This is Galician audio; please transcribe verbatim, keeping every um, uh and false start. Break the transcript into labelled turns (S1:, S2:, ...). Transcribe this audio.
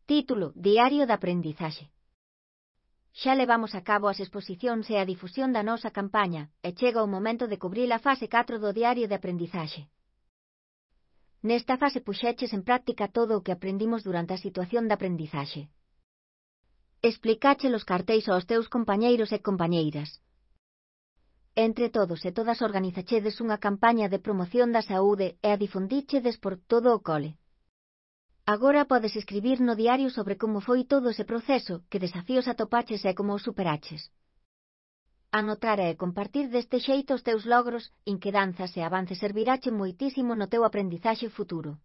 S1: Título: Diario de aprendizaxe. Xa levamos a cabo as exposicións e a difusión da nosa campaña, e chega o momento de cubrir a fase catro do diario de aprendizaxe. Nesta fase puxeches en práctica todo o que aprendimos durante a situación de aprendizaxe. Explicache os cartéis aos teus compañeiros e compañeiras. Entre todos e todas organizachedes unha campaña de promoción da saúde e a difundíchedes por todo o cole. Agora podes escribir no diario sobre como foi todo ese proceso, que desafíos atopaches e como os superaches. Anotar e compartir deste xeito os teus logros, inquedanzas e avances servirache moitísimo no teu aprendizaxe futuro.